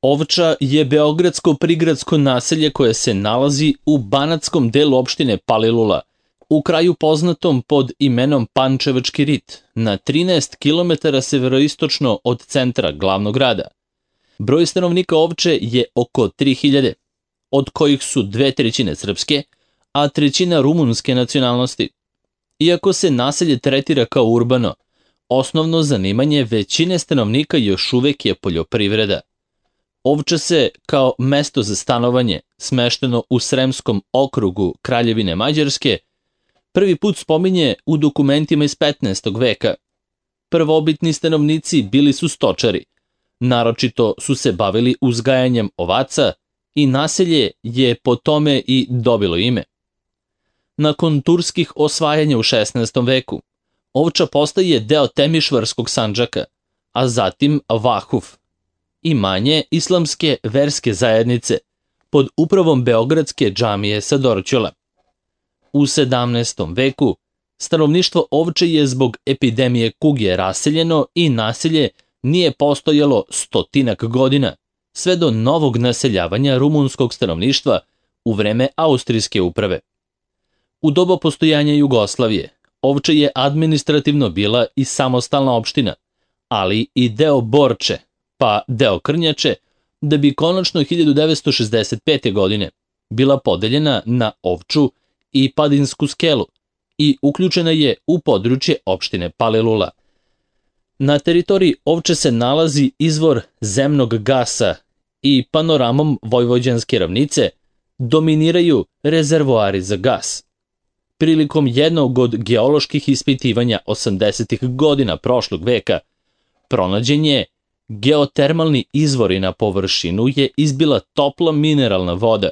Ovča je beogradsko prigradsko naselje koje se nalazi u banatskom delu opštine Palilula, u kraju poznatom pod imenom Pančevački rit, na 13 km severoistočno od centra glavnog grada. Broj stanovnika Ovče je oko 3000, od kojih su 2/3 srpske, a 1/3 rumunske nacionalnosti. Iako se naselje tretira kao urbano, osnovno zanimanje većine stanovnika još uvek je poljoprivreda. Ovča se, kao mesto za stanovanje, smešteno u Sremskom okrugu Kraljevine Mađarske, prvi put spominje u dokumentima iz 15. veka. Prvobitni stanovnici bili su stočari, naročito su se bavili uzgajanjem ovaca i naselje je po tome i dobilo ime. Nakon turskih osvajanja u 16. veku, Ovča postaje deo Temišvarskog Sandžaka, a zatim Vahuf, imanje islamske verske zajednice pod upravom Beogradske džamije sa Dorćola. U 17. veku stanovništvo Ovče je zbog epidemije kuge raseljeno i naselje nije postojalo 100 godina, sve do novog naseljavanja rumunskog stanovništva u vreme austrijske uprave. U doba postojanja Jugoslavije, Ovča je administrativno bila i samostalna opština, ali i deo Borče, pa deo Krnjače, da bi konačno 1965. godine bila podeljena na Ovču i Padinsku skelu i uključena je u područje opštine Palilula. Na teritoriji Ovče se nalazi izvor zemnog gasa i panoramom Vojvođanske ravnice dominiraju rezervoari za gas. Prilikom jednog od geoloških ispitivanja 80. godina prošlog veka, pronađen je geotermalni izvori na površinu je izbila topla mineralna voda.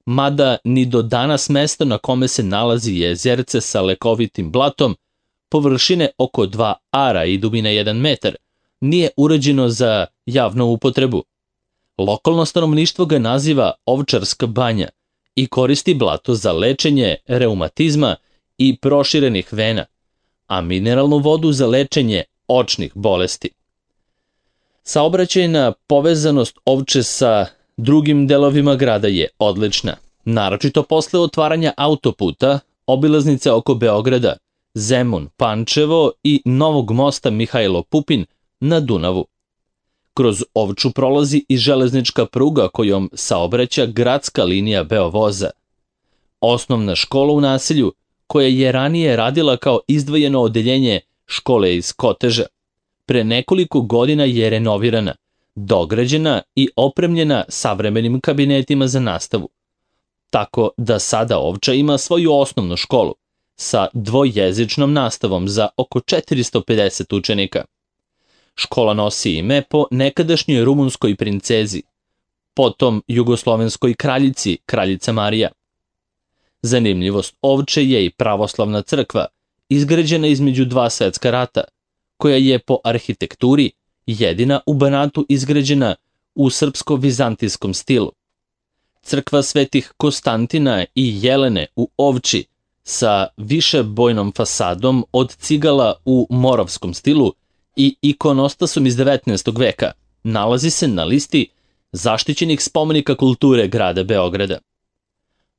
Mada ni do danas mesto na kome se nalazi jezerce sa lekovitim blatom, površine oko 2 ara i dubine 1 metar, nije uređeno za javnu upotrebu. Lokalno stanovništvo ga naziva Ovčarska banja i koristi blato za lečenje reumatizma i proširenih vena, a mineralnu vodu za lečenje očnih bolesti. Saobraćajna povezanost Ovče sa drugim delovima grada je odlična, naročito posle otvaranja autoputa, obilaznice oko Beograda, Zemun, Pančevo i novog mosta Mihajlo Pupin na Dunavu. Kroz Ovču prolazi i železnička pruga kojom saobraća gradska linija Beovoza. Osnovna škola u naselju, koja je ranije radila kao izdvojeno odeljenje škole iz Koteža, pre nekoliko godina je renovirana, dograđena i opremljena savremenim kabinetima za nastavu. Tako da sada Ovča ima svoju osnovnu školu sa dvojezičnom nastavom za oko 450 učenika. Škola nosi ime po nekadašnjoj rumunskoj princezi, potom jugoslovenskoj kraljici, kraljica Marija. Zanimljivost Ovče je i pravoslavna crkva, izgrađena između 2 svetska rata, koja je po arhitekturi jedina u Banatu izgrađena u srpsko-vizantijskom stilu. Crkva svetih Konstantina i Jelene u Ovči sa višebojnom fasadom od cigala u moravskom stilu i ikonostasom iz 19. veka nalazi se na listi zaštićenih spomenika kulture grada Beograda.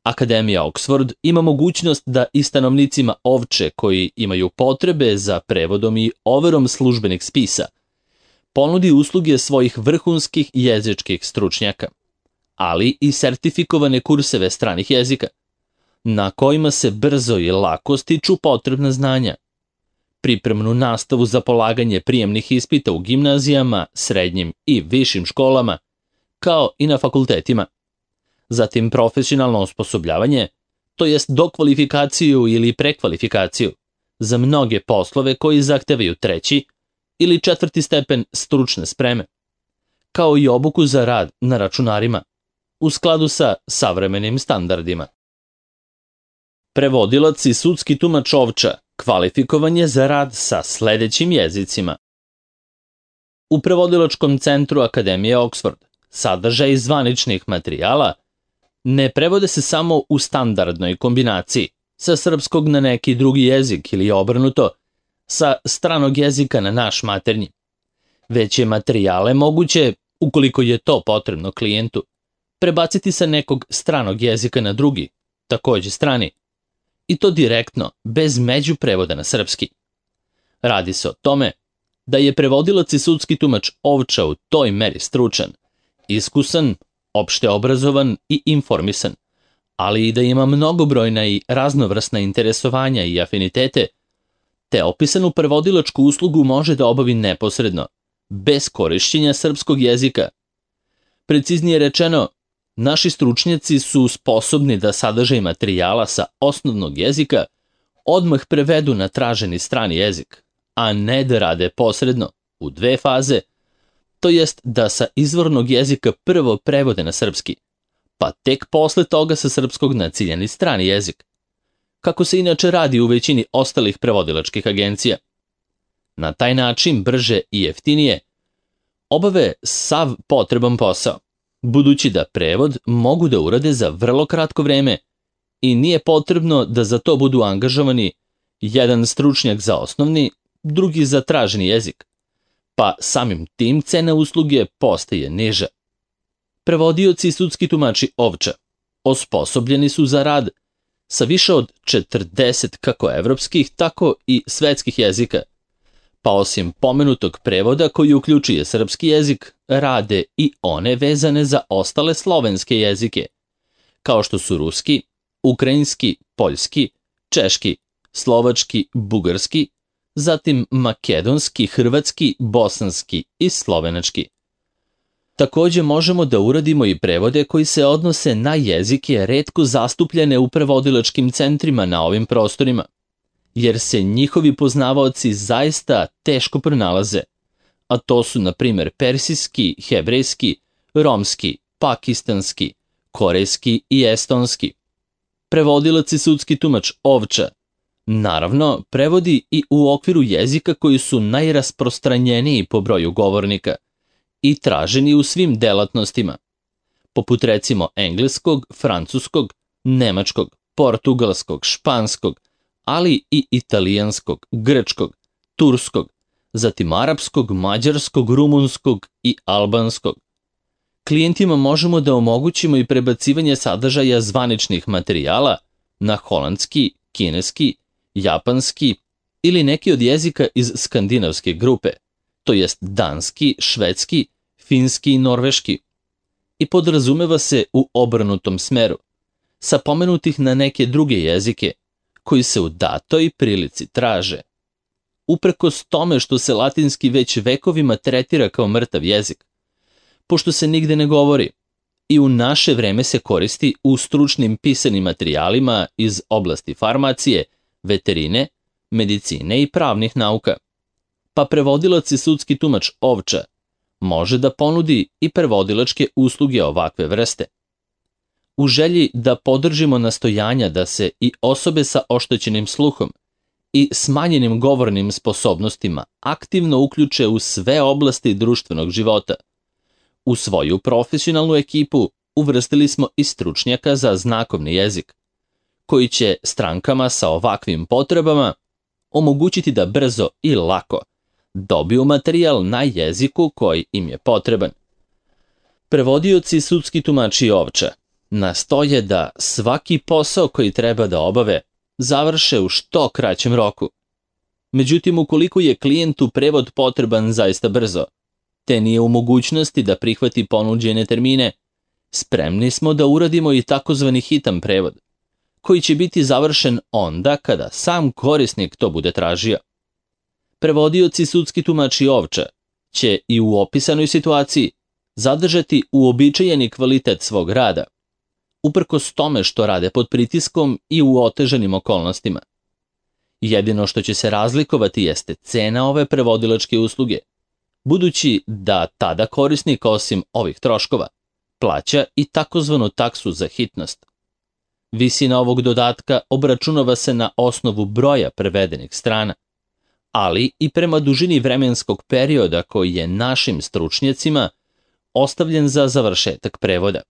Akademija Oxford ima mogućnost da i stanovnicima Ovče koji imaju potrebe za prevodom i overom službenih spisa ponudi usluge svojih vrhunskih jezičkih stručnjaka, ali i sertifikovane kurseve stranih jezika, na kojima se brzo i lako stiču potrebna znanja, pripremnu nastavu za polaganje prijemnih ispita u gimnazijama, srednjim i višim školama, kao i na fakultetima. Zatim profesionalno osposobljavanje, to jest dokvalifikaciju ili prekvalifikaciju za mnoge poslove koji zahtevaju 3. ili 4. stepen stručne spreme, kao i obuku za rad na računarima, u skladu sa savremenim standardima. Prevodilac i sudski tumač Ovča kvalifikovan je za rad sa sledećim jezicima. U prevodilačkom centru Akademije Oxford sadržaj zvaničnih materijala ne prevode se samo u standardnoj kombinaciji sa srpskog na neki drugi jezik ili obrnuto sa stranog jezika na naš maternji, već je materijale moguće Ukoliko je to potrebno klijentu, prebaciti sa nekog stranog jezika na drugi, takođe strani, i to direktno, bez međuprevoda na srpski. Radi se o tome da je prevodilac i sudski tumač Ovča u toj meri stručan, iskusan, opšte obrazovan i informisan, ali i da ima mnogobrojna i raznovrsna interesovanja i afinitete, te opisanu prevodilačku uslugu može da obavi neposredno, bez korišćenja srpskog jezika. Preciznije rečeno, naši stručnjaci su sposobni da sadržaj materijala sa osnovnog jezika odmah prevedu na traženi strani jezik, a ne da rade posredno, u dve faze, to jest da sa izvornog jezika prvo prevode na srpski, pa tek posle toga sa srpskog na ciljani strani jezik, kako se inače radi u većini ostalih prevodilačkih agencija. Na taj način, brže i jeftinije, obave sav potreban posao, budući da prevod mogu da urade za vrlo kratko vreme i nije potrebno da za to budu angažovani jedan stručnjak za osnovni, drugi za traženi jezik, pa samim tim cena usluge postaje niža. Prevodioci i sudski tumači Ovča osposobljeni su za rad sa više od 40 kako evropskih, tako i svetskih jezika, pa osim pomenutog prevoda koji uključuje srpski jezik, rade i one vezane za ostale slovenske jezike, kao što su ruski, ukrajinski, poljski, češki, slovački, bugarski, zatim makedonski, hrvatski, bosanski i slovenački. Takođe možemo da uradimo i prevode koji se odnose na jezike retko zastupljene u prevodilačkim centrima na ovim prostorima, jer se njihovi poznavaoci zaista teško pronalaze, a to su na primer persijski, hebrejski, romski, pakistanski, korejski i estonski. Prevodilac i sudski tumač Ovča, naravno, prevodi i u okviru jezika koji su najrasprostranjeniji po broju govornika i traženi u svim delatnostima, poput recimo engleskog, francuskog, nemačkog, portugalskog, španskog, ali i italijanskog, grčkog, turskog, zatim arapskog, mađarskog, rumunskog i albanskog. Klijentima možemo da omogućimo i prebacivanje sadržaja zvaničnih materijala na holandski, kineski, japanski ili neki od jezika iz skandinavske grupe, to jest danski, švedski, finski i norveški, i podrazumeva se u obrnutom smeru, sa pomenutih na neke druge jezike, koji se u datoj prilici traže. Uprkos tome što se latinski već vekovima tretira kao mrtav jezik, pošto se nigde ne govori, i u naše vreme se koristi u stručnim pisanim materijalima iz oblasti farmacije, veterine, medicine i pravnih nauka, pa prevodilac i sudski tumač Ovča može da ponudi i prevodilačke usluge ovakve vrste. U želji da podržimo nastojanja da se i osobe sa oštećenim sluhom i smanjenim govornim sposobnostima aktivno uključe u sve oblasti društvenog života, u svoju profesionalnu ekipu uvrstili smo i stručnjaka za znakovni jezik, koji će strankama sa ovakvim potrebama omogućiti da brzo i lako dobiju materijal na jeziku koji im je potreban. Prevodioci i sudski tumači Ovča nastoje da svaki posao koji treba da obave završe u što kraćem roku. Međutim, ukoliko je klijentu prevod potreban zaista brzo, te nije u mogućnosti da prihvati ponuđene termine, spremni smo da uradimo i takozvani hitan prevod, koji će biti završen onda kada sam korisnik to bude tražio. Prevodioci i sudski tumači Ovča će i u opisanoj situaciji zadržati uobičajeni kvalitet svog rada, uprkos tome što rade pod pritiskom i u otežanim okolnostima. Jedino što će se razlikovati jeste cena ove prevodilačke usluge, budući da tada korisnik osim ovih troškova plaća i takozvanu taksu za hitnost. Visina ovog dodatka obračunava se na osnovu broja prevedenih strana, ali i prema dužini vremenskog perioda koji je našim stručnjacima ostavljen za završetak prevoda.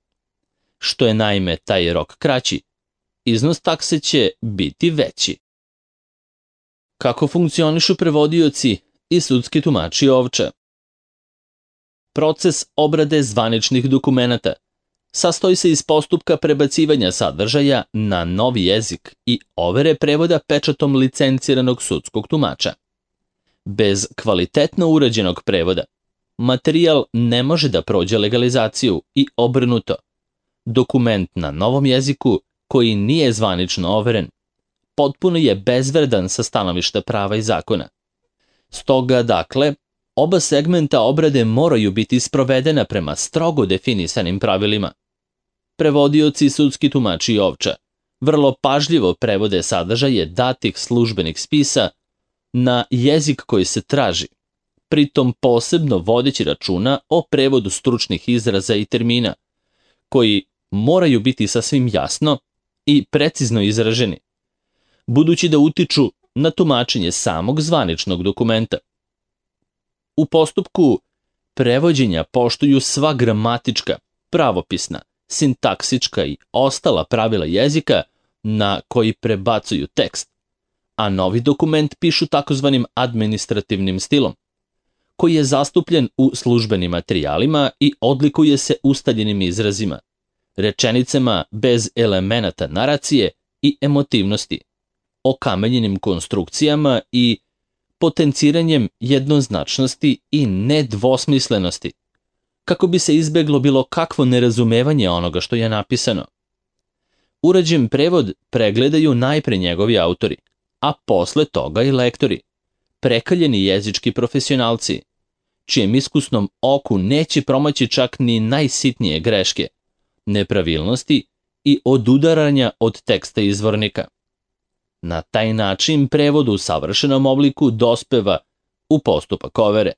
Što je naime taj rok kraći, iznos takse će biti veći. Kako funkcionišu prevodioci i sudski tumači Ovča? proces obrade zvaničnih dokumenata. Sastoji se iz postupka prebacivanja sadržaja na novi jezik i overe prevoda pečatom licenciranog sudskog tumača. Bez kvalitetno urađenog prevoda, materijal ne može da prođe legalizaciju i obrnuto. Dokument na novom jeziku, koji nije zvanično overen, potpuno je bezvredan sa stanovišta prava i zakona. Stoga, dakle, oba segmenta obrade moraju biti sprovedena prema strogo definisanim pravilima. Prevodioci i sudski tumači Ovča vrlo pažljivo prevode sadržaje datih službenih spisa na jezik koji se traži, pritom posebno vodeći računa o prevodu stručnih izraza i termina, koji moraju biti sasvim jasno i precizno izraženi, budući da utiču na tumačenje samog zvaničnog dokumenta. U postupku prevođenja poštuju sva gramatička, pravopisna, sintaksička i ostala pravila jezika na koji prebacuju tekst, a novi dokument pišu takozvanim administrativnim stilom, koji je zastupljen u službenim materijalima i odlikuje se ustaljenim izrazima, rečenicama bez elemenata naracije i emotivnosti, okamenjenim konstrukcijama i potenciranjem jednoznačnosti i nedvosmislenosti, kako bi se izbeglo bilo kakvo nerazumevanje onoga što je napisano. Urađen prevod pregledaju najpre njegovi autori, a posle toga i lektori, prekaljeni jezički profesionalci, čijem iskusnom oku neće promaći čak ni najsitnije greške, nepravilnosti i odudaranja od teksta izvornika. Na taj način prevod u savršenom obliku dospeva u postupak overe.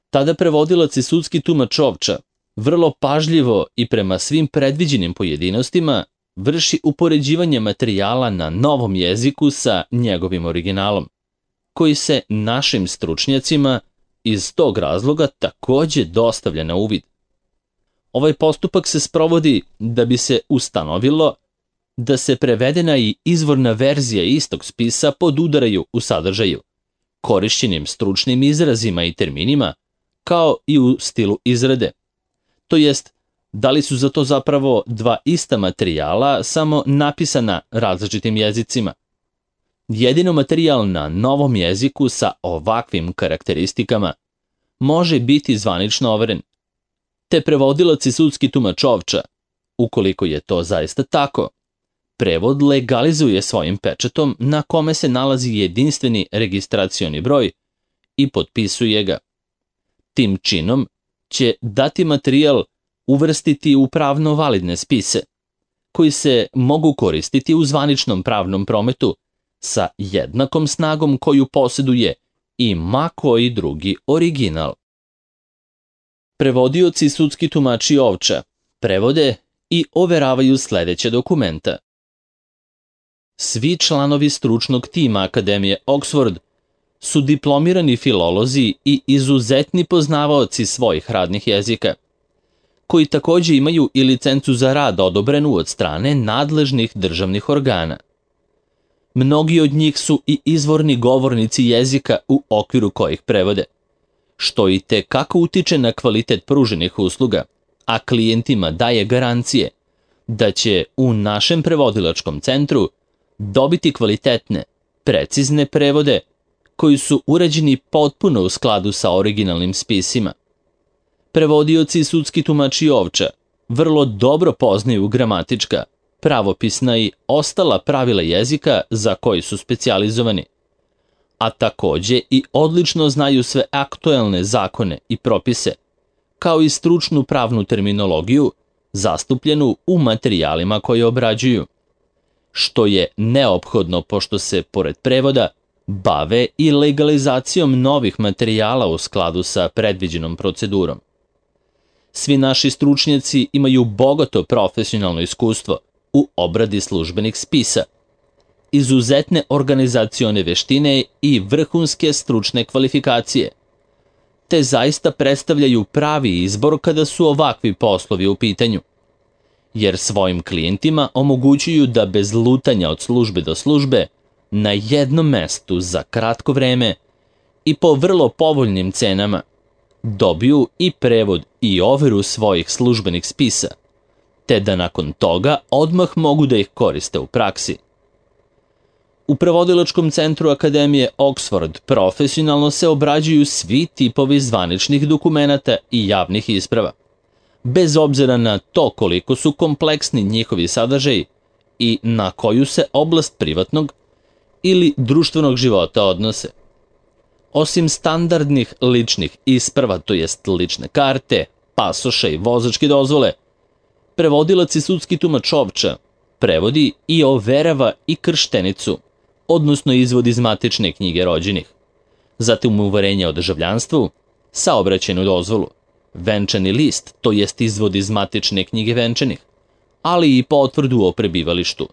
Tada prevodilac i sudski tumač Ovča vrlo pažljivo i prema svim predviđenim pojedinostima vrši upoređivanje materijala na novom jeziku sa njegovim originalom, koji se našim stručnjacima iz tog razloga takođe dostavlja na uvid. Ovaj postupak se sprovodi da bi se ustanovilo da se prevedena i izvorna verzija istog spisa podudaraju u sadržaju, korišćenim stručnim izrazima i terminima, kao i u stilu izrade. To jest, da li su za to zapravo dva ista materijala, samo napisana različitim jezicima. Jedino materijal na novom jeziku sa ovakvim karakteristikama može biti zvanično overen, te prevodilac i sudski tumač Ovča, ukoliko je to zaista tako, prevod legalizuje svojim pečatom na kome se nalazi jedinstveni registracioni broj i potpisuje ga. Tim činom će dati materijal uvrstiti u pravno validne spise, koji se mogu koristiti u zvaničnom pravnom prometu sa jednakom snagom koju posjeduje i ma koji drugi original. Prevodioci i sudski tumači Ovča prevode i overavaju sledeće dokumenta. Svi članovi stručnog tima Akademije Oxford su diplomirani filolozi i izuzetni poznavaoci svojih radnih jezika, koji takođe imaju i licencu za rad odobrenu od strane nadležnih državnih organa. Mnogi od njih su i izvorni govornici jezika u okviru kojih prevode, što i te kako utiče na kvalitet pruženih usluga, a klijentima daje garancije da će u našem prevodilačkom centru dobiti kvalitetne, precizne prevode koji su urađeni potpuno u skladu sa originalnim spisima. Prevodioci i sudski tumači Ovča vrlo dobro poznaju gramatička, pravopisna i ostala pravila jezika za koji su specijalizovani, a takođe i odlično znaju sve aktuelne zakone i propise, kao i stručnu pravnu terminologiju zastupljenu u materijalima koje obrađuju, što je neophodno pošto se, pored prevoda, bave i legalizacijom novih materijala u skladu sa predviđenom procedurom. Svi naši stručnjaci imaju bogato profesionalno iskustvo u obradi službenih spisa, izuzetne organizacione veštine i vrhunske stručne kvalifikacije, te zaista predstavljaju pravi izbor kada su ovakvi poslovi u pitanju, jer svojim klijentima omogućuju da bez lutanja od službe do službe, na jednom mestu za kratko vreme i po vrlo povoljnim cenama, dobiju i prevod i overu svojih službenih spisa, te da nakon toga odmah mogu da ih koriste u praksi. U prevodilačkom centru Akademije Oxford profesionalno se obrađuju svi tipovi zvaničnih dokumenata i javnih isprava, bez obzira na to koliko su kompleksni njihovi sadržaji i na koju se oblast privatnog ili društvenog života odnose. Osim standardnih ličnih isprava, to jest lične karte, pasoša i vozačke dozvole, prevodilac i sudski tumač Ovča prevodi i overava i krštenicu, odnosno izvod iz matične knjige rođenih, zatim uverenje o državljanstvu, saobraćajnu dozvolu, venčani list, to jest izvod iz matične knjige venčanih, ali i potvrdu o prebivalištu,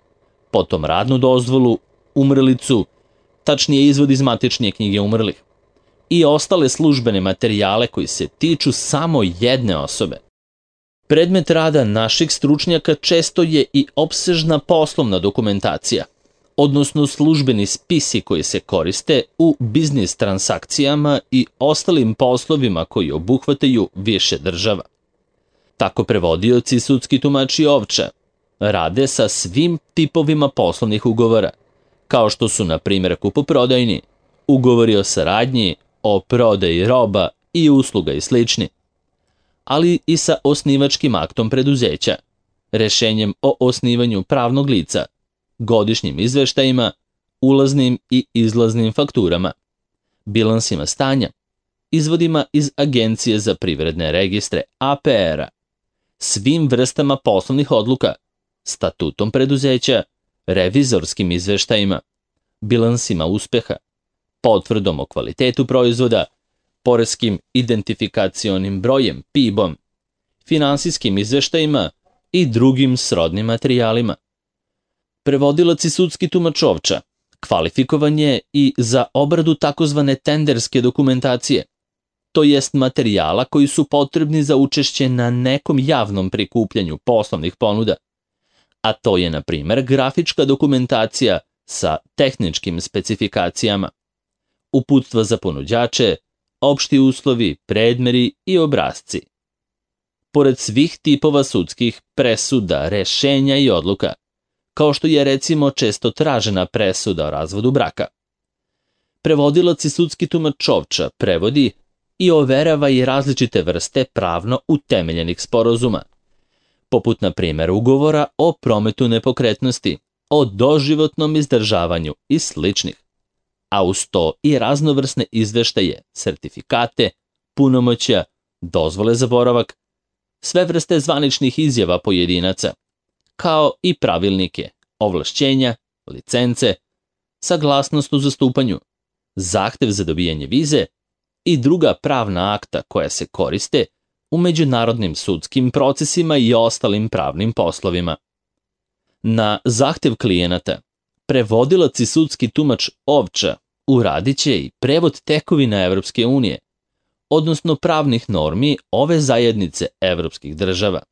potom radnu dozvolu, umrlicu, tačnije izvod iz matične knjige umrlih, i ostale službene materijale koji se tiču samo jedne osobe. Predmet rada naših stručnjaka često je i opsežna poslovna dokumentacija, odnosno službeni spisi koji se koriste u biznis transakcijama i ostalim poslovima koji obuhvataju više država. Tako prevodioci i sudski tumači Ovča rade sa svim tipovima poslovnih ugovora, kao što su, na primjer, kupoprodajni, ugovori o saradnji, o prodaji roba i usluga i slični, ali i sa osnivačkim aktom preduzeća, rešenjem o osnivanju pravnog lica, godišnjim izveštajima, ulaznim i izlaznim fakturama, bilansima stanja, izvodima iz Agencije za privredne registre APR-a, svim vrstama poslovnih odluka, statutom preduzeća, revizorskim izveštajima, bilansima uspeha, potvrdom o kvalitetu proizvoda, poreskim identifikacionim brojem PIB-om, finansijskim izveštajima i drugim srodnim materijalima. Prevodilac i sudski tumač Ovča kvalifikovan je i za obradu takozvane tenderske dokumentacije, to jest materijala koji su potrebni za učešće na nekom javnom prikupljanju poslovnih ponuda, a to je, na primjer, grafička dokumentacija sa tehničkim specifikacijama, uputstva za ponuđače, opšti uslovi, predmeri i obrasci. Pored svih tipova sudskih presuda, rešenja i odluka, kao što je recimo često tražena presuda o razvodu braka, prevodilac i sudski tumač Ovča prevodi i overava i različite vrste pravno utemeljenih sporazuma, poput, na primjer, ugovora o prometu nepokretnosti, o doživotnom izdržavanju i sličnih, a uz to i raznovrsne izveštaje, sertifikate, punomoćja, dozvole za boravak, sve vrste zvaničnih izjava pojedinaca, kao i pravilnike, ovlašćenja, licence, saglasnost u zastupanju, zahtev za dobijanje vize i druga pravna akta koja se koriste u međunarodnim sudskim procesima i ostalim pravnim poslovima. Na zahtev klijenata, prevodilac i sudski tumač Ovča uradit će i prevod tekovina Evropske unije, odnosno pravnih normi ove zajednice evropskih država.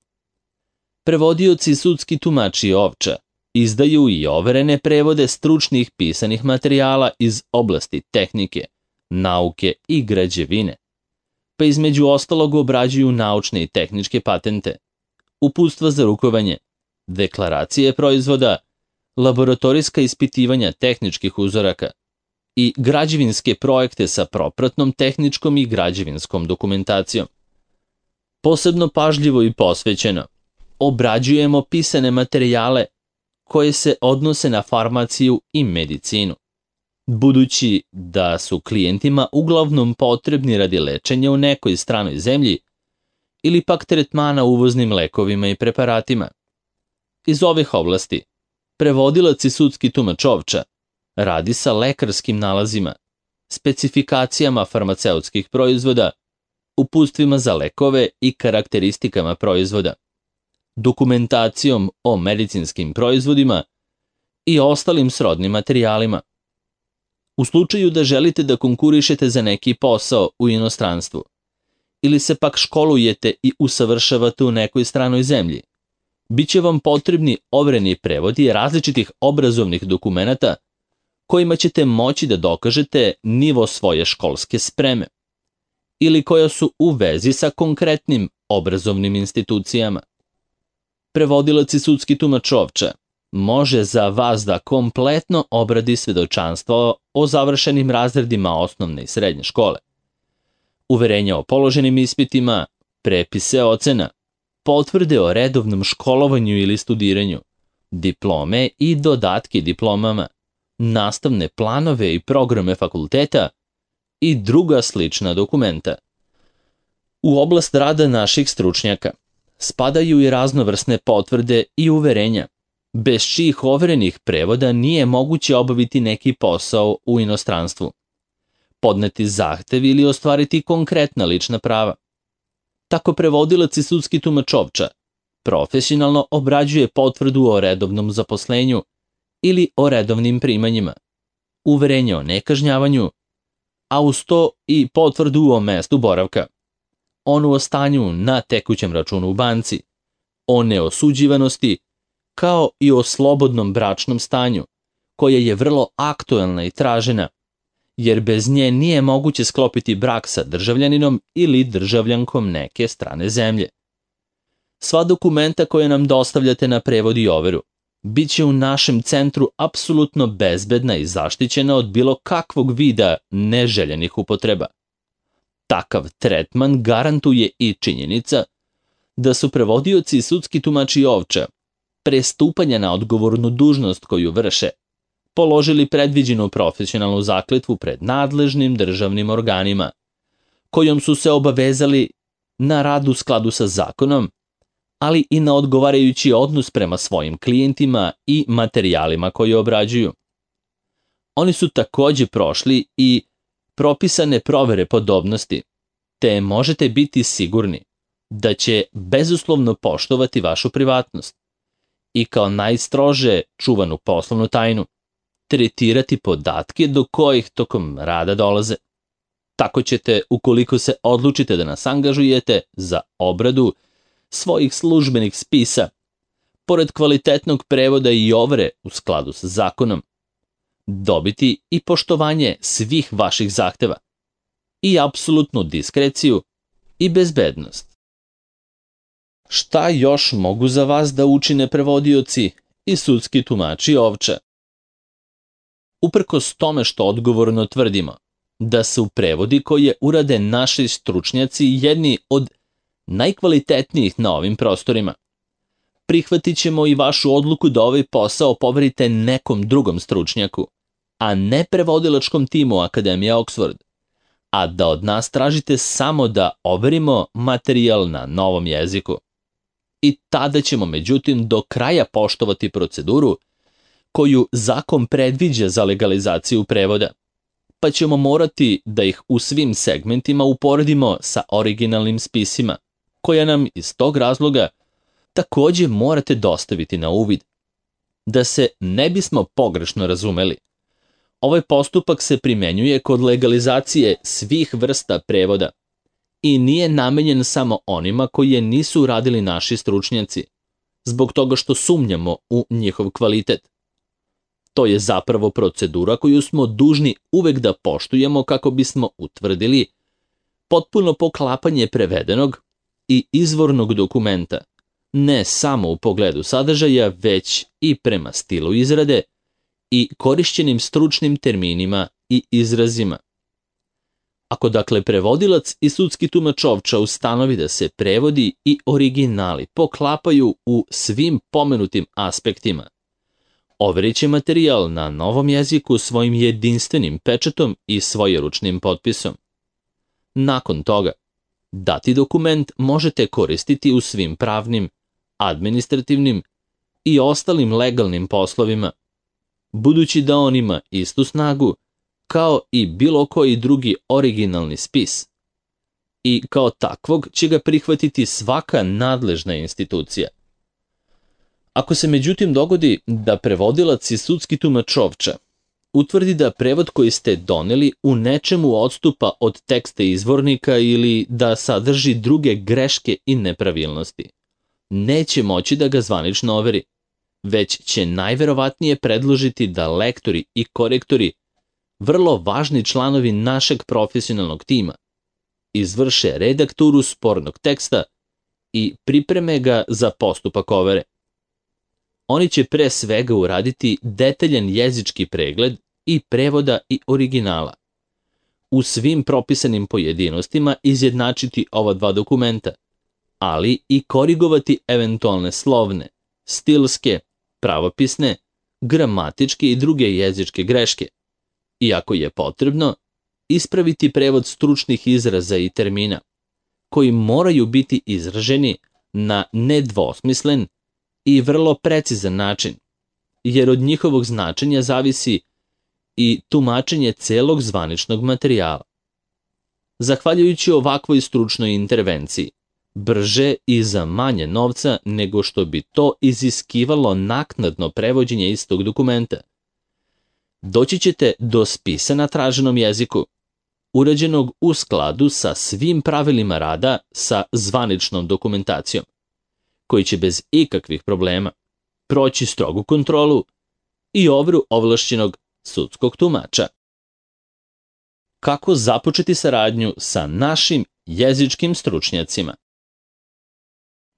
Prevodioci i sudski tumači Ovča izdaju i overene prevode stručnih pisanih materijala iz oblasti tehnike, nauke i građevine, pa između ostalog obrađuju naučne i tehničke patente, uputstva za rukovanje, deklaracije proizvoda, laboratorijska ispitivanja tehničkih uzoraka i građevinske projekte sa propratnom tehničkom i građevinskom dokumentacijom. Posebno pažljivo i posvećeno obrađujemo pisane materijale koje se odnose na farmaciju i medicinu, budući da su klijentima uglavnom potrebni radi lečenja u nekoj stranoj zemlji ili pak tretmana uvoznim lekovima i preparatima. Iz ovih oblasti prevodilac i sudski tumač Ovča radi sa lekarskim nalazima, specifikacijama farmaceutskih proizvoda, uputstvima za lekove i karakteristikama proizvoda, dokumentacijom o medicinskim proizvodima i ostalim srodnim materijalima. U slučaju da želite da konkurišete za neki posao u inostranstvu ili se pak školujete i usavršavate u nekoj stranoj zemlji, biće vam potrebni overeni prevodi različitih obrazovnih dokumenata kojima ćete moći da dokažete nivo svoje školske spreme ili koja su u vezi sa konkretnim obrazovnim institucijama. Prevodilac i sudski tumač Ovča može za vas da kompletno obradi svedočanstvo o završenim razredima osnovne i srednje škole, uverenja o položenim ispitima, prepise ocena, potvrde o redovnom školovanju ili studiranju, diplome i dodatke diplomama, nastavne planove i programe fakulteta i druga slična dokumenta. U oblast rada naših stručnjaka spadaju i raznovrsne potvrde i uverenja, bez čijih overenih prevoda nije moguće obaviti neki posao u inostranstvu, podneti zahtev ili ostvariti konkretna lična prava. Tako prevodilac i sudski tumač Ovča profesionalno obrađuje potvrdu o redovnom zaposlenju ili o redovnim primanjima, uverenje o nekažnjavanju, a uz to i potvrdu o mestu boravka, onu o stanju na tekućem računu u banci, o neosuđivanosti, kao i o slobodnom bračnom stanju, koja je vrlo aktuelna i tražena, jer bez nje nije moguće sklopiti brak sa državljaninom ili državljankom neke strane zemlje. Sva dokumenta koje nam dostavljate na prevod i overu bit će u našem centru apsolutno bezbedna i zaštićena od bilo kakvog vida neželjenih upotreba. Takav tretman garantuje i činjenica da su prevodioci i sudski tumači Ovča pre stupanja na odgovornu dužnost koju vrše položili predviđenu profesionalnu zakletvu pred nadležnim državnim organima, kojom su se obavezali na rad u skladu sa zakonom, ali i na odgovarajući odnos prema svojim klijentima i materijalima koje obrađuju. Oni su takođe prošli i propisane provere podobnosti, te možete biti sigurni da će bezuslovno poštovati vašu privatnost i kao najstrože čuvanu poslovnu tajnu tretirati podatke do kojih tokom rada dolaze. Tako ćete, ukoliko se odlučite da nas angažujete za obradu svojih službenih spisa, pored kvalitetnog prevoda i overe u skladu sa zakonom, dobiti i poštovanje svih vaših zahteva i apsolutnu diskreciju i bezbednost. Šta još mogu za vas da učine prevodioci i sudski tumači Ovča? Uprkos tome što odgovorno tvrdimo da su prevodi koje urade naši stručnjaci jedni od najkvalitetnijih na ovim prostorima, prihvatit ćemo i vašu odluku da ovaj posao poverite nekom drugom stručnjaku, a ne prevodilačkom timu Akademije Oxford, a da od nas tražite samo da overimo materijal na novom jeziku. I tada ćemo međutim do kraja poštovati proceduru koju zakon predviđa za legalizaciju prevoda, pa ćemo morati da ih u svim segmentima uporedimo sa originalnim spisima, koja nam iz tog razloga takođe morate dostaviti na uvid. Da se ne bismo pogrešno razumeli, ovaj postupak se primenjuje kod legalizacije svih vrsta prevoda i nije namenjen samo onima koje nisu radili naši stručnjaci, zbog toga što sumnjamo u njihov kvalitet. To je zapravo procedura koju smo dužni uvek da poštujemo kako bismo utvrdili potpuno poklapanje prevedenog i izvornog dokumenta, ne samo u pogledu sadržaja, već i prema stilu izrade i korišćenim stručnim terminima i izrazima. Ako dakle prevodilac i sudski tumač Ovča ustanovi da se prevodi i originali poklapaju u svim pomenutim aspektima, overit će materijal na novom jeziku svojim jedinstvenim pečatom i svojeručnim potpisom. Nakon toga, dati dokument možete koristiti u svim pravnim, administrativnim i ostalim legalnim poslovima, budući da on ima istu snagu kao i bilo koji drugi originalni spis. I kao takvog će ga prihvatiti svaka nadležna institucija. Ako se međutim dogodi da prevodilac i sudski tumač Ovča utvrdi da prevod koji ste doneli u nečemu odstupa od teksta izvornika ili da sadrži druge greške i nepravilnosti, neće moći da ga zvanično overi, već će najverovatnije predložiti da lektori i korektori, vrlo važni članovi našeg profesionalnog tima, izvrše redakturu spornog teksta i pripreme ga za postupak overe. Oni će pre svega uraditi detaljan jezički pregled i prevoda i originala. U svim propisanim pojedinostima izjednačiti ova dva dokumenta, ali i korigovati eventualne slovne, stilske, pravopisne, gramatičke i druge jezičke greške. I ako je potrebno, ispraviti prevod stručnih izraza i termina, koji moraju biti izraženi na nedvosmislen i vrlo precizan način, jer od njihovog značenja zavisi i tumačenje celog zvaničnog materijala. Zahvaljujući ovakvoj stručnoj intervenciji, brže i za manje novca nego što bi to iziskivalo naknadno prevođenje istog dokumenta, doći ćete do spisa na traženom jeziku, urađenog u skladu sa svim pravilima rada sa zvaničnom dokumentacijom, koji će bez ikakvih problema proći strogu kontrolu i overu ovlašćenog sudskog tumača. Kako započeti saradnju sa našim jezičkim stručnjacima?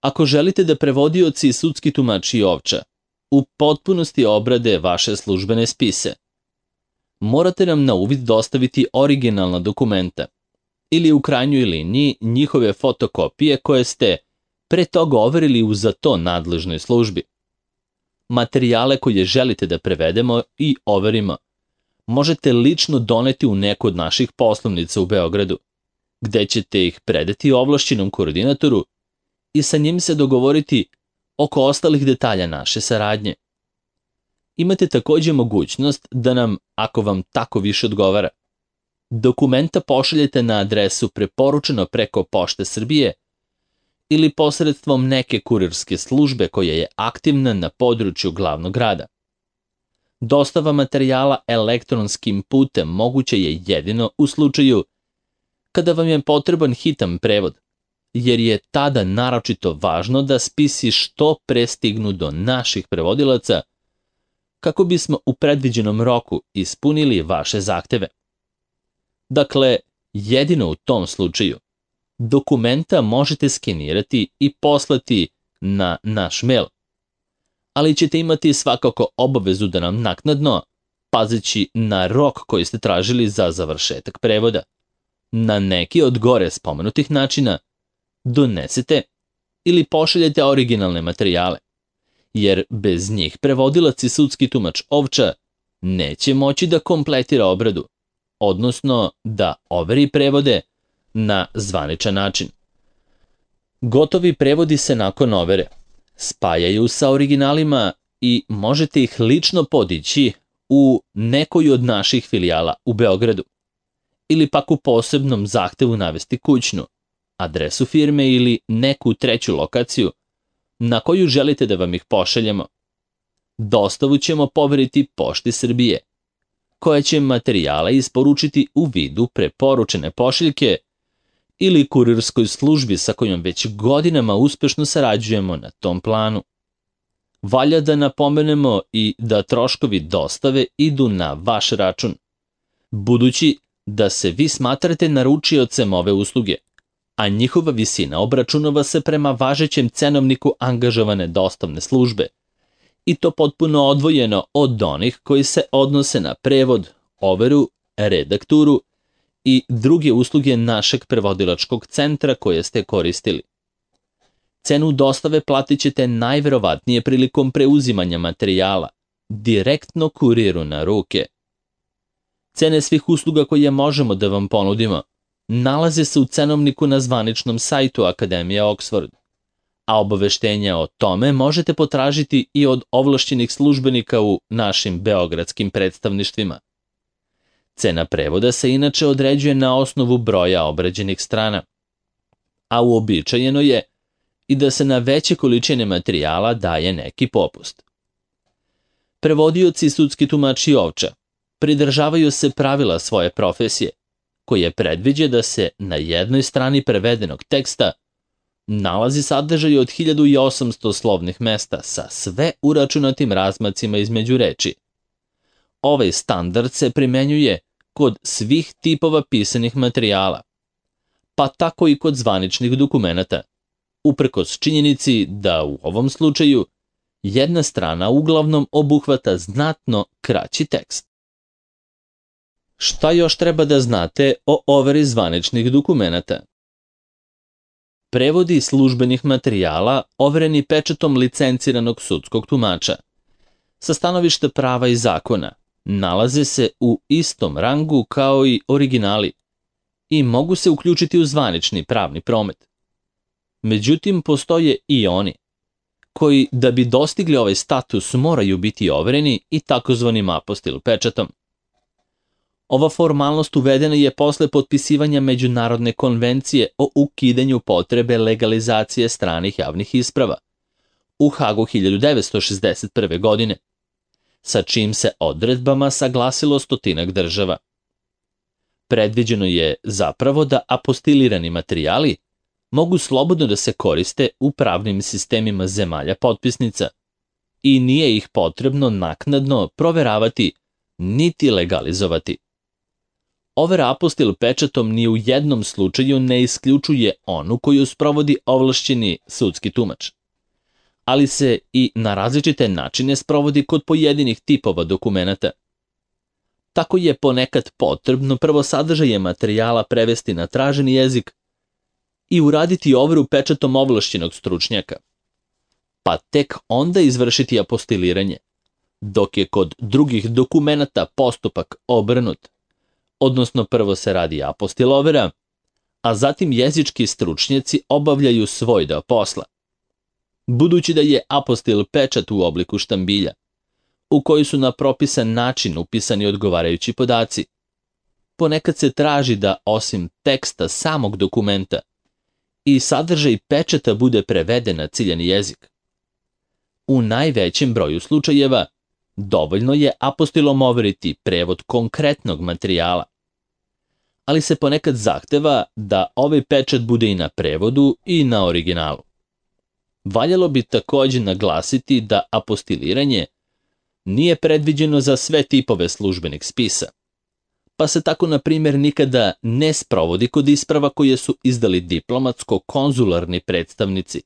Ako želite da prevodioci i sudski tumači Ovča u potpunosti obrade vaše službene spise, morate nam na uvid dostaviti originalna dokumenta ili u krajnjoj liniji njihove fotokopije koje ste pre toga overili u za to nadležnoj službi. Materijale koje želite da prevedemo i overimo možete lično doneti u neku od naših poslovnica u Beogradu, gde ćete ih predati ovlašćenom koordinatoru i sa njim se dogovoriti oko ostalih detalja naše saradnje. Imate takođe mogućnost da nam, ako vam tako više odgovara, dokumenta pošaljete na adresu preporučeno preko Pošte Srbije ili posredstvom neke kurirske službe koja je aktivna na području glavnog grada. Dostava materijala elektronskim putem moguće je jedino u slučaju kada vam je potreban hitan prevod, jer je tada naročito važno da spisi što pre stignu do naših prevodilaca kako bismo u predviđenom roku ispunili vaše zahteve. Dakle, jedino u tom slučaju dokumenta možete skenirati i poslati na naš mail, ali ćete imati svakako obavezu da nam naknadno, pazeći na rok koji ste tražili za završetak prevoda, na neki od gore spomenutih načina donesete ili pošaljete originalne materijale, jer bez njih prevodilac i sudski tumač Ovča neće moći da kompletira obradu, odnosno da overi prevode na zvaničan način. Gotovi prevodi se nakon overe spajaju sa originalima i možete ih lično podići u nekoj od naših filijala u Beogradu ili pak u posebnom zahtevu navesti kućnu, adresu firme ili neku treću lokaciju na koju želite da vam ih pošaljemo. Dostavu ćemo poveriti Pošti Srbije, koja će materijale isporučiti u vidu preporučene pošiljke ili kurirskoj službi sa kojom već godinama uspešno sarađujemo na tom planu. Valja da napomenemo i da troškovi dostave idu na vaš račun, budući da se vi smatrate naručiocem ove usluge, a njihova visina obračunava se prema važećem cenovniku angažovane dostavne službe, i to potpuno odvojeno od onih koji se odnose na prevod, overu, redakturu i druge usluge našeg prevodilačkog centra koje ste koristili. Cenu dostave platit ćete najverovatnije prilikom preuzimanja materijala, direktno kuriru na ruke. Cene svih usluga koje možemo da vam ponudimo nalaze se u cenovniku na zvaničnom sajtu Akademije Oxford, a obaveštenja o tome možete potražiti i od ovlašćenih službenika u našim beogradskim predstavništvima. Cena prevoda se inače određuje na osnovu broja obrađenih strana, a uobičajeno je i da se na veće količine materijala daje neki popust. Prevodioci i sudski tumači Ovča pridržavaju se pravila svoje profesije, koje predviđa da se na jednoj strani prevedenog teksta nalazi sadržaj od 1800 slovnih mesta sa sve uračunatim razmacima između reči. Ovaj standard se primenjuje kod svih tipova pisanih materijala, pa tako i kod zvaničnih dokumenata, uprkos činjenici da u ovom slučaju jedna strana uglavnom obuhvata znatno kraći tekst. Šta još treba da znate o overi zvaničnih dokumenata? Prevodi službenih materijala overeni pečatom licenciranog sudskog tumača sa stanovišta prava i zakona nalaze se u istom rangu kao i originali i mogu se uključiti u zvanični pravni promet. Međutim, postoje i oni koji, da bi dostigli ovaj status, moraju biti overeni i takozvanim apostil pečatom. Ova formalnost uvedena je posle potpisivanja Međunarodne konvencije o ukidanju potrebe legalizacije stranih javnih isprava u Hagu 1961. godine, sa čim se odredbama saglasilo 100 država. Predviđeno je zapravo da apostilirani materijali mogu slobodno da se koriste u pravnim sistemima zemalja potpisnica i nije ih potrebno naknadno proveravati niti legalizovati. Overa apostil pečatom ni u jednom slučaju ne isključuje onu koju sprovodi ovlašćeni sudski tumač, ali se i na različite načine sprovodi kod pojedinih tipova dokumenata. Tako je ponekad potrebno prvo sadržaje materijala prevesti na traženi jezik i uraditi overu pečatom ovlašćenog stručnjaka, pa tek onda izvršiti apostiliranje, dok je kod drugih dokumenata postupak obrnut, odnosno prvo se radi apostil overa, a zatim jezički stručnjaci obavljaju svoj deo posla. Budući da je apostil pečat u obliku štambilja, u koji su na propisan način upisani odgovarajući podaci, ponekad se traži da osim teksta samog dokumenta i sadržaj pečata bude preveden na ciljani jezik. U najvećem broju slučajeva dovoljno je apostilom overiti prevod konkretnog materijala, ali se ponekad zahteva da ovaj pečat bude i na prevodu i na originalu. Valjalo bi takođe naglasiti da apostiliranje nije predviđeno za sve tipove službenih spisa, pa se tako, na primjer, nikada ne sprovodi kod isprava koje su izdali diplomatsko-konzularni predstavnici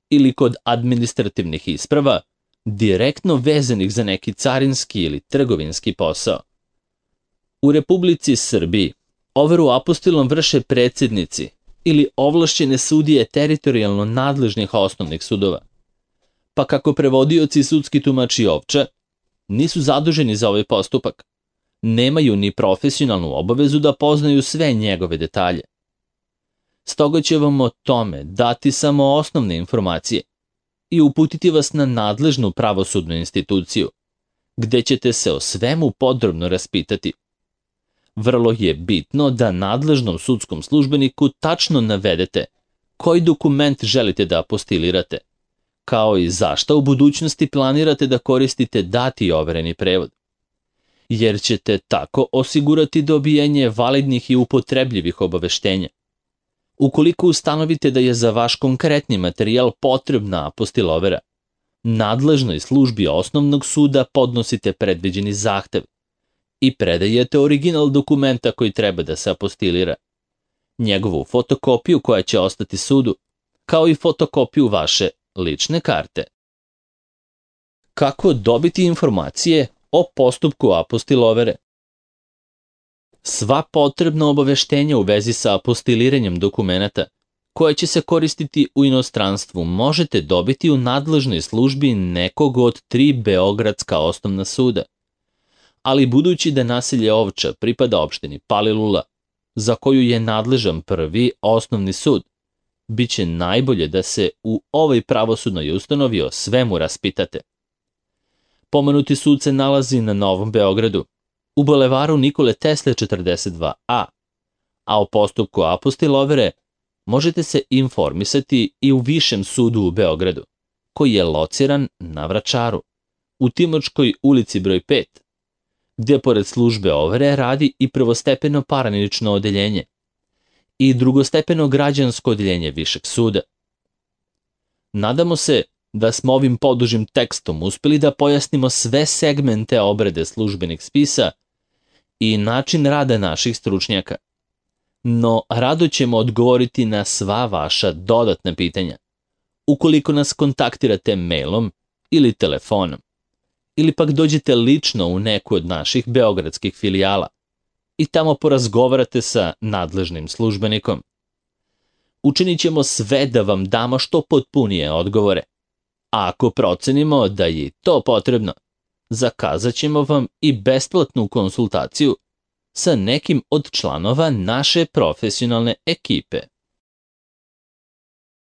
ili kod administrativnih isprava direktno vezanih za neki carinski ili trgovinski posao. U Republici Srbiji overu apostilom vrše predsjednici ili ovlašćene sudije teritorijalno nadležnih osnovnih sudova, pa kako prevodioci i sudski tumači ovča nisu zaduženi za ovaj postupak, nemaju ni profesionalnu obavezu da poznaju sve njegove detalje. Stoga će vam o tome dati samo osnovne informacije i uputiti vas na nadležnu pravosudnu instituciju, gde ćete se o svemu podrobno raspitati. Vrlo je bitno da nadležnom sudskom službeniku tačno navedete koji dokument želite da apostilirate, kao i zašta u budućnosti planirate da koristite dati overeni prevod, jer ćete tako osigurati dobijanje validnih i upotrebljivih obaveštenja. Ukoliko ustanovite da je za vaš konkretni materijal potrebna apostil overa, nadležnoj službi osnovnog suda podnosite predviđeni zahtev i predajete original dokumenta koji treba da se apostilira, njegovu fotokopiju koja će ostati sudu, kao i fotokopiju vaše lične karte. Kako dobiti informacije o postupku apostil overe? Sva potrebna obaveštenja u vezi sa apostiliranjem dokumenata koje će se koristiti u inostranstvu možete dobiti u nadležnoj službi nekog od 3 beogradska osnovna suda. Ali budući da naselje Ovča pripada opštini Palilula, za koju je nadležan prvi osnovni sud, bit će najbolje da se u ovoj pravosudnoj ustanovi o svemu raspitate. Pomenuti sud se nalazi na Novom Beogradu, u bulevaru Nikole Tesle 42A, a o postupku apostil overe možete se informisati i u Višem sudu u Beogradu, koji je lociran na Vračaru, u Timočkoj ulici broj 5, gdje pored službe overe radi i prvostepeno parnično odeljenje i drugostepeno građansko odeljenje Višeg suda. Nadamo se da smo ovim podužim tekstom uspeli da pojasnimo sve segmente obrade službenih spisa i način rada naših stručnjaka. no rado ćemo odgovoriti na sva vaša dodatna pitanja. Ukoliko nas kontaktirate mailom ili telefonom, ili pak dođete lično u neku od naših beogradskih filijala i tamo porazgovarate sa nadležnim službenikom. Učinit ćemo sve da vam damo što potpunije odgovore. A ako procenimo da je to potrebno, zakazat ćemo vam i besplatnu konsultaciju sa nekim od članova naše profesionalne ekipe.